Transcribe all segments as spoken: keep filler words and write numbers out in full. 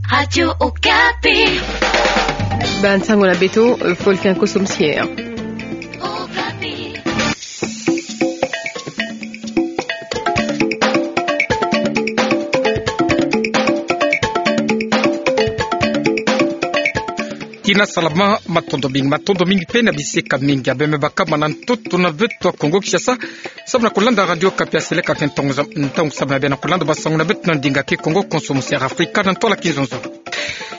Radio Okapi. Bansango na beto, Volcan Kosom Sier. Okapi. Tina salama, matondo mingi, matondo mingi pe na bisika mingi ya bembe bakama na ntoto na beto ya Kongo Kinshasa. Samu na kolanda Radio Okapi ya seleka ke ntangu za-, ntangu samu na bia na kolanda bansango na beto na ndinga Kikongo, Kosom Sier Afrika na ntwala kizonzolo.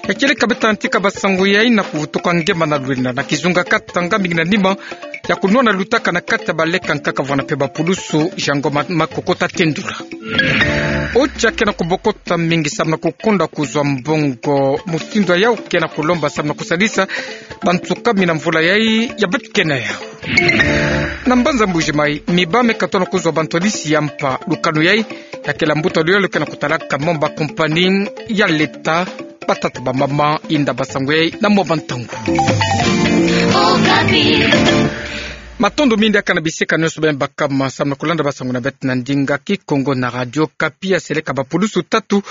Ya kieleka beto ya ntika bansango yayi na kuvutuka ngemba na lwena na kizunga Katanga, mingi na nima ya kunwana lutaka na kati ya baleke ya nkaka vwana pe bapulusu. Jean Ngoma Makoko ta tendula. Otia ke na kubokota mingi samu na kukonda kuzwa mbongo. Mutindu yau ke na kulomba samu na kusadisa bantu kumi na mvula yayi ya beto ke na yau. Na mbanza Mbuji-Mayi, miba me katona kuzwa bantwadisi ya mpa. Lukanu yayi ya kele mbuta luyalu ke na kutalaka mo bakompani ya leta. Batata, bamama, inda, bansango yayi na mo bantangu. Matondo mingi diaka na bisika nyonso bembe bakama samu na kolanda bansango na beto na ndinga Kikongo na Radio Okapi. Ya seleka bapulusu tatu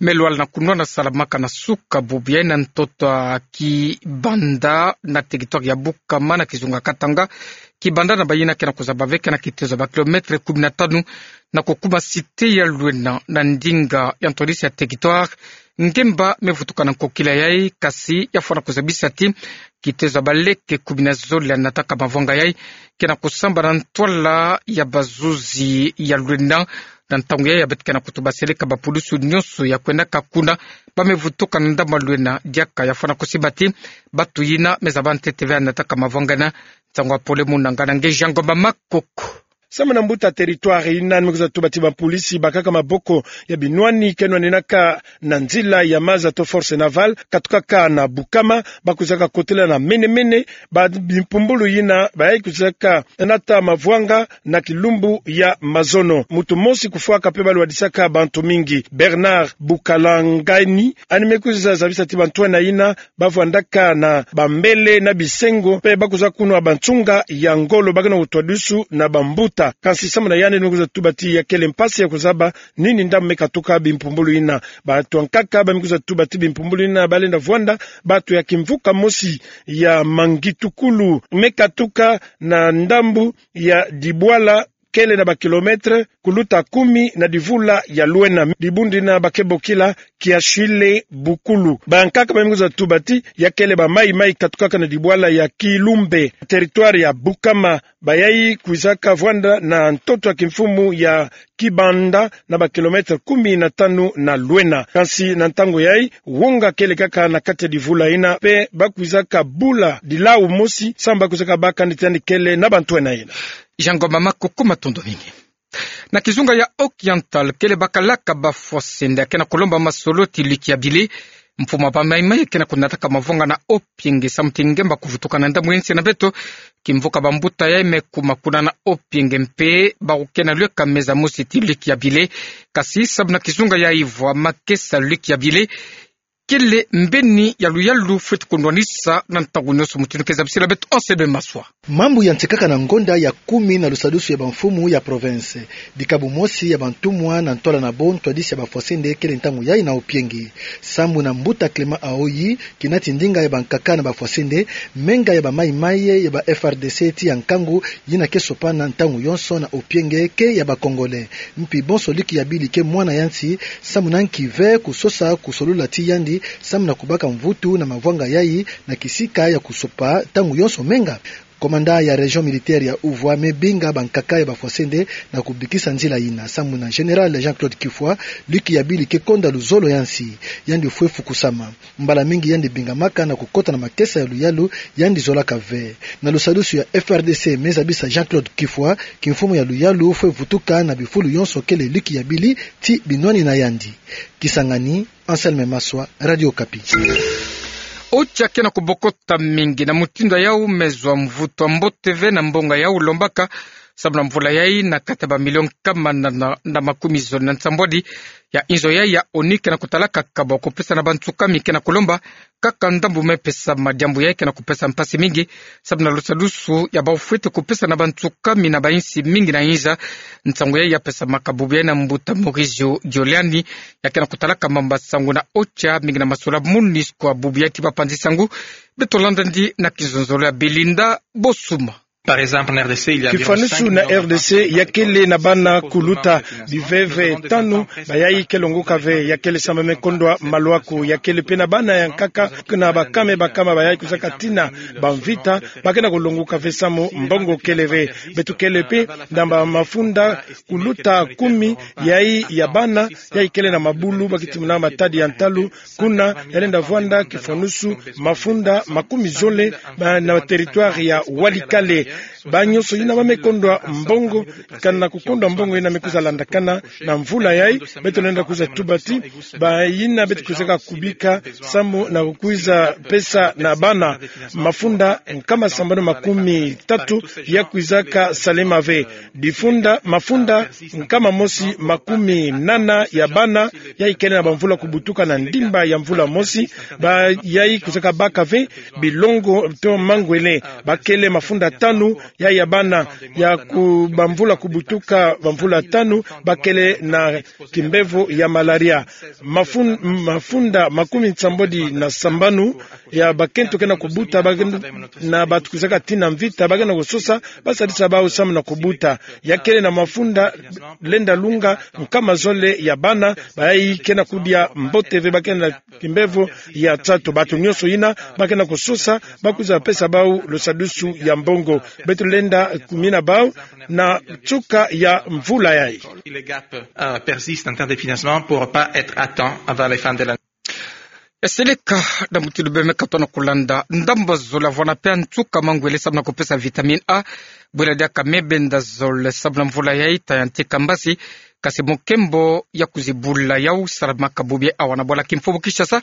me lwala na kunwana salamaka na suka bubu yayi na ntoto ya Kibanda na territoire ya Bukama na kizunga Katanga. Kibanda na bayina ke na kuzaba ve ke na kitezo ya bakilometre kumi na tanu na kukuma cité ya lwena na ndinga ya ntwadisi ya territoire. Ngemba me vutuka na nkokila yayi, kasi ya fwana kuzabisa ti kitezo ya baleke kumi na zole ya nataka mavwanga yayi ke na kusamba na ntwala ya bazuzi ya lwena. Na ntangu yayi ya beto ke na kutuba seleka bapulusu nyonso ya kwendaka kuna ba me vutuka na ndambu ya lwena. Diaka ya fwana kusiba ti batu yina me zaba ntete ve ya nataka mavwanga yina. Nsangu ya pole muna ngana nge Jean Ngoma Makoko. Samu na mbuta territoire yina ni me kwiza tuba ti bapulisi bakaka maboko ya binwani ke nwaninaka na nzila ya maza to force navale katukaka na Bukama, ba kwizaka kotela na mene-mene ba bimpumbulu yina bayi kwizaka nata mavwanga na kilumbu ya mazono. Mutu mosi kufwaka pe balwadisaka bantu mingi. Bernard Bukalangani, yandi me kwiza zabisa ti bantwenia yina ba vwandaka na bambele na bisengo, pe ba kwiza kunwa bansunga ya ngolo, ba ke na kutwadisu na bambuta. Kansi samu na yandi ni me kwiza tuba ti ya kele mpasi ya kuzaba nini ndambu me katuka bimpumbulu yina. Batu ya nkaka ba me kwiza tuba ti bimpumbulu yina ba lenda vwanda batu ya kimvuka mosi ya Mangitukulu, me katuka na ndambu ya Dibwala, kele na bakilometre kuluta kumi na divula ya lwena. Dibundu dina ba ke bokila Kiashile Bukulu. Ba nkaka ba me kwiza tuba ti ya kele ba mayi-mayi katukaka na dibwala ya Kilumbe, territoire ya Bukama, bayayi kwizaka vwanda na ntoto ya kimfumu ya Kibanda na bakilometre kumi na tanu na lwena. Kansi na ntangu yayi, wonga kele kaka na kati ya divula yina, pe ba kwizaka bula dilau mosi, samu ba kwizaka baka kani ti yandi kele na bantwenia yina. Jean Ngoma Makoko, matondo mingi. Na kizunga ya Oriental, kele bakalaka bafwasende ke na kulomba masolo ti Luc Yabile, mfumu ya ba mayi-mayi ke na kunataka mavwanga na Opienge, samu ti ngemba kuvutuka na ndambu ya nsi na beto. Kimvuka bambuta yayi me kuma kuna na Opienge, mpe bawu ke na lweka meza mosi ti Luc Yabile. Kansi samu na kizunga ya ivwa, makesa Luc Yabile kele mbeni ya luyalu fweti kunwanisa na ntangu nyonso, mutindu ke zabisila beto Anselme Maswa. Mambu yantikaka na ngonda ya kumi na lusadusu ya bamfumu ya province. Dikabu mosi ya bantumwa na ntwala na bo ntwadisi ya bafwasende kele ntangu yayi na Opienge. Samu na mbuta Clément Aoyi, kinati ndinga ya bankaka na bafwasende, menga ya ba mayi-mayi ya ba F R D C ti ya nkangu yina ke sopana ntangu yonso na Opienge ke ya ba Congolais. Mpi bonso Luc Yabile ke mwana ya nsi, samu na nki ve kusosa kusolula ti yandi samu na kubaka mvutu na mavwanga yayi na kisika ya kusopa ntangu yonso menga. Commandant ya région militaire ya uvwa me binga bankaka ya bafwasende na kubikisa nzila yina. Samu na général Jean-Claude Kifwa, Luc Yabile ke konda luzolo ya nsi. Yandi fwe fukusama. Mbala mingi yandi bingamaka na kukota na makesa ya luyalu yandi zolaka ve. Na lusadusu ya F R D C me zabisa Jean-Claude Kifwa, kimfumu ya luyalu fwe vutuka na bifulu yonso kele Luc Yabile ti binwani na yandi. Kisangani, Anselme Maswa, Radio Okapi. Otia ke na kubokota mingi na mutindu yau me zwa mvutu ya mbote ve na mbonga yau lombaka samu na mvula yai, na kati ya bamilio nkama na, na, na makumi zole na nsambwadi ya inzo yai ya ONU ke na kutalaka kabwa kupesa na bantsukami ke na kulomba kaka ndambu me pesa madiambu yai ke na kupesa mpasi mingi, samu na lusadusu ya bau fwete kupesa na bantsukami na bainsi mingi na inza. Nsangu yai ya pesamaka bubu yai na mbuta Maurizio Giuliani, ya ke na kutalaka mamba sangu na OCHA, mingi na masolo MONUSCO. Bubu yai ti bapanzi sangu, beto landa ndi na kizonzolo ya Belinda Bosuma. Par exemple, en R D C, il y a environ cinq millions d'enfants. Kifwanusu na R D C, ya kele na bana kuluta biveve tanu, bayai ke longoka ve, ya kele samu me kondwa maluaku, ya kele pe na bana ya nkaka, na bakame bakama bayai kwizaka tina bamvita, ba ke na kulongoka ve samu mbongo kele ve. Beto kele pe na bamafunda kuluta kumi, yai ya bana, yai kele na mabulu, ba kiti muna matadi ya ntalu, kuna, ya lenda vwanda kifwanusu mafunda makumi zole, ba, na territoire ya Walikale. Ba nyonso yina ba me kondwa mbongo, kana kukondwa mbongo yina me kwiza landakana na mvula yai, beto lenda kwiza tuba ti, bayina beto kwizaka kubika, samu na kwiza pesa na bana, mafunda nkama sambanu makumi tatu ya kwizaka salema ve. Difunda, mafunda nkama mosi makumi nana ya bana, yai kele na bamvula kubutuka na ndimba ya mvula mosi, bayai kwizaka baka ve bilongo to mangwele. Ba kele mafunda tanu, yai ya bana, ya ku-, bamvula kubutuka bamvula tanu, ba kele na kimbevo ya malaria. Mafun-, mafunda makumi nsambwadi na sambanu, ya bakento ke na kubuta, ba ke-, na bantu kwizaka tina mvita, ba ke na kusosa, ba sadisa bau samu na kubuta. Ya kele na mafunda lenda lunga nkama zole ya bana, bayai ke na kudia mbote ve, ba ke na kimbevo ya nsatu. Bantu nyonso yina, ba ke na kusosa, ba kwiza pesa bau lusadusu ya mbongo. Beto lenda kumina bau na nsuka ya mvula yai. Si les gaps, euh, persistent en termes de financement, pourront pas être atteints avant les fins de l'année. Eseleka na mutindu bemeka tona kulanda ndambu zole, vwanda pe nsuka mangwele samu na kupesa vitamine A. Bwela diaka me benda zole samu na mvula yai, ta ya nti kambasi, kasi mo nkembo ya kuzibula yau salamaka bubu yai awa na bwala kimfumu Kinshasa,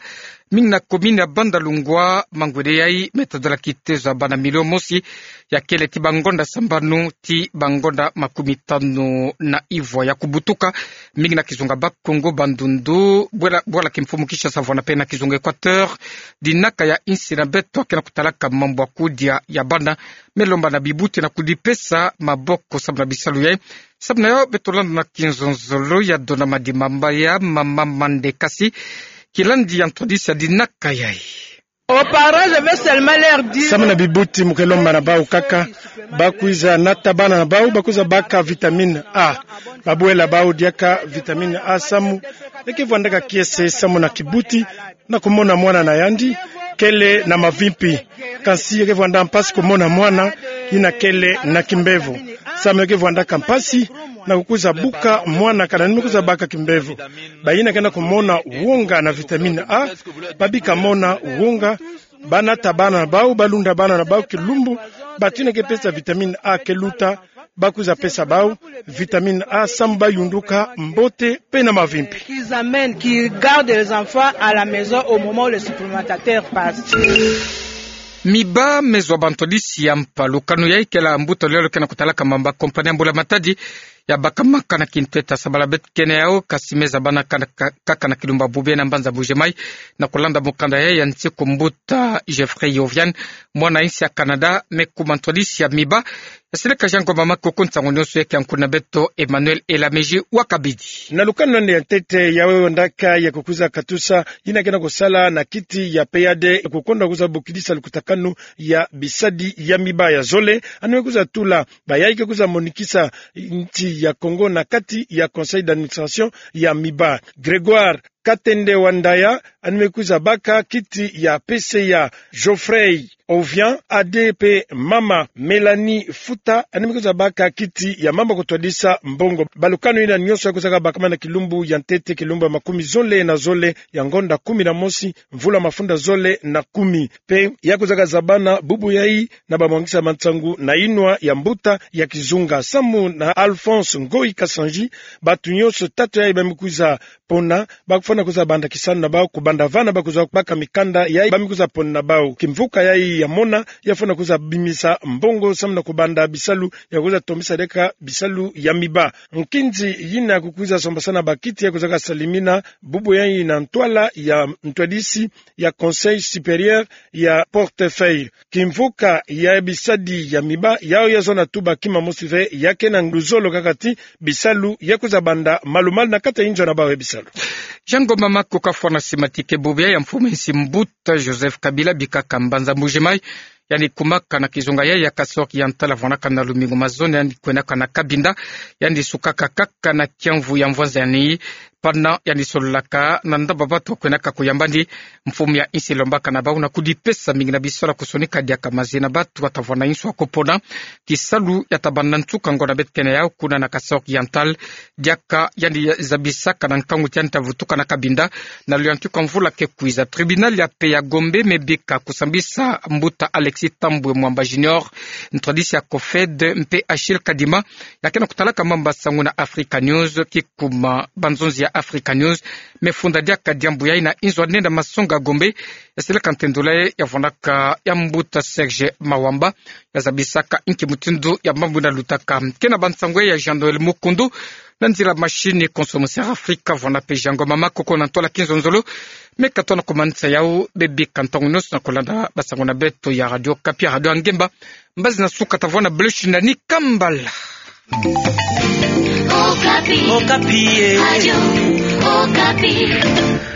mingi na commune ya Bandalungwa. Mangwele yai me tadala kitezo ya bana milio mosi, ya kele ti bangonda sambanu ti bangonda makumi tanu na ivwa ya kubutuka, mingi na kizunga Bas-Congo, Bandundu, bwela, bwala kimfumu Kinshasa, vwanda pe na kizunga Equateur. Dinaka ya insi na beto ke na kutalaka mambu ya kudia ya bana, me lomba na bibuti na kudipesa maboko samu na bisalu yai. Samu na yau beto landa na kizonzolo ya Dona Madimba ya mama Mande, kasi kilandi ya ntwadisi ya dinaka yai. Aux parents, je vais seulement leur dire, samu na bibuti, mu ke lomba na bau kaka ba kwiza nata bana na bau, ba kwiza baka vitamine A. Ba bwela bau diaka vitamine A samu, e ke vwandaka kiese samu na kibuti na kumona mwana na yandi kele na mavimpi. Kansi e ke vwanda mpasi kumona mwana yina kele na kimbevo. Samu e ke vwandaka mpasi na kukwiza buka mwana kana ni me kwiza baka kimbevo. Bayina ke na kumona wonga na vitamine A, ba bika mona wonga, ba nata bana na bau, ba lunda bana na bau kilumbu, bantu yina ke pesa vitamine A ke luta, ba kwiza pesa bau vitamine A samu ba yunduka mbote pe na mavimpi. Qu'ils amènent, qu'ils gardent les enfants à la maison au moment où le supplémentateur passe. Miba me zwa bantwadisi ya mpa. Lukanu yai kela mbuta lulendo ke na kutalaka mamba compagnie ya mbula-matadi ya bakamaka na kintweta sabala beto kene yau, kasi me zabana kaka, kaka na kilumbu ya bubu yai na mbanza Mbuji-Mayi. Na kulanda mukanda yai ya nsi, kumbuta Jeffrey Yovian, mwana insi ya Canada, me kuma ntwadisi ya miba. Eseleka Jean Ngoma Makoko, nsangu nionso yaki ya nkuna beto Emmanuel Elamiji wa kabidi. Na lukanu lwandi ya ntete, ya we wandaka ya kukwiza katusa, yina ke na kusala na kiti ya P A D, kukonda kwiza bokidisa lukutakanu ya bisadi ya miba ya zole, yandi me kwiza tula bayai ke kwiza monikisa nsi ya Congo na kati ya conseil d'administration ya miba. Grégoire Katende Wandaya, yandi me kwiza baka kiti ya P C A. Geoffrey Ovian, ade pe mama Mélanie Futa, yandi me kwiza baka kiti ya mamba kutwadisa mbongo. Balukanu yina nionso ya kwizaka bakama na kilumbu ya ntete, kilumbu ya makumi zole na zole ya ngonda kumi na mosi, mvula mafunda zole na kumi. Pe ya kwizaka zabana bubu yai na bamwangisa mansangu na yinwa ya mbuta ya kizunga. Samu na Alphonse Ngoyi Kasanji, bantu nionso tatu yai ba me kwiza pona, ba kufwana kwiza banda kisalu na bau, kubanda vana ba kwiza baka mikanda yai ba me kwiza pona na bau. Kimvuka yai ya mona, ya fwana kwiza bimisa mbongo samu na kubanda bisalu ya kwiza tombisa diaka bisalu ya miba. Nkinzi yina kukwiza sombasana bakiti ya kwizaka salimina bubu yayi na ntwala ya ntwadisi ya Conseil supérieur ya portefeuille. Kimvuka ya bisadi ya miba, yawu ya zona tuba kima mosi ve, ya kena luzolo kaka ti bisalu ya kwiza banda malu-malu na kati ya inzo na bawu ya bisalu. Jean Ngoma Makoko kafwana simatike bubu ya mfumu nsi mbuta Joseph Kabila bika ka mbanza Mbuji-Mayi, yandi kumaka na kizunga ya, ya Kasaï Oriental, avwanaka na lumingu mazono, yandi kwenaka na Cabinda, yandi sukaka kaka na kiamvu ya mvwanza yandi, pana yandi sololaka na ndaba batu kwenaka kuyamba ndi. Mfumu ya nsi lombaka na bawu na kudipesa mingi na bisola kusonika diaka maze na batu watavwana insu ya kupona, kisalu ya tabanda nsuka ngonda betene yawu kuna na Kasaï Oriental, diaka yandi zabisaka na nkangu ti yandi tavutuka na Cabinda na luyantika mvula ke kwiza. Tribunal ya paix ya Gombe me bika kusambisa mbuta Alexis Thambwe Mwamba Junior, ntwadisi ya COFED, mpe Achille Kadima, ya kena kutalaka mambu masangu na Africa News, kikuma banzonzi ya Africa News me funda diaka diambu yayi na inzo nene masonga Gombe, ya seleka ntendula ye ya vwanaka ya mbuta Serge Mawamba, ya zabisaka inki mutindu ya mambu yina lutaka. Kena bansangu ya Jean Noël Mukundu, na nzila machine Consommateur Africa, vwana mpe Jean Ngoma Makoko na ntwala kinzonzolo. Me ka tona kumanisa yawu, bebika ntangu nyonso na kulanda basangu na beto ya Radio Okapi, Radio ya Ngemba. Mbazi na suka tavwana blush na ni kambala. Okapi. Okapi, eh. Radio Okapi.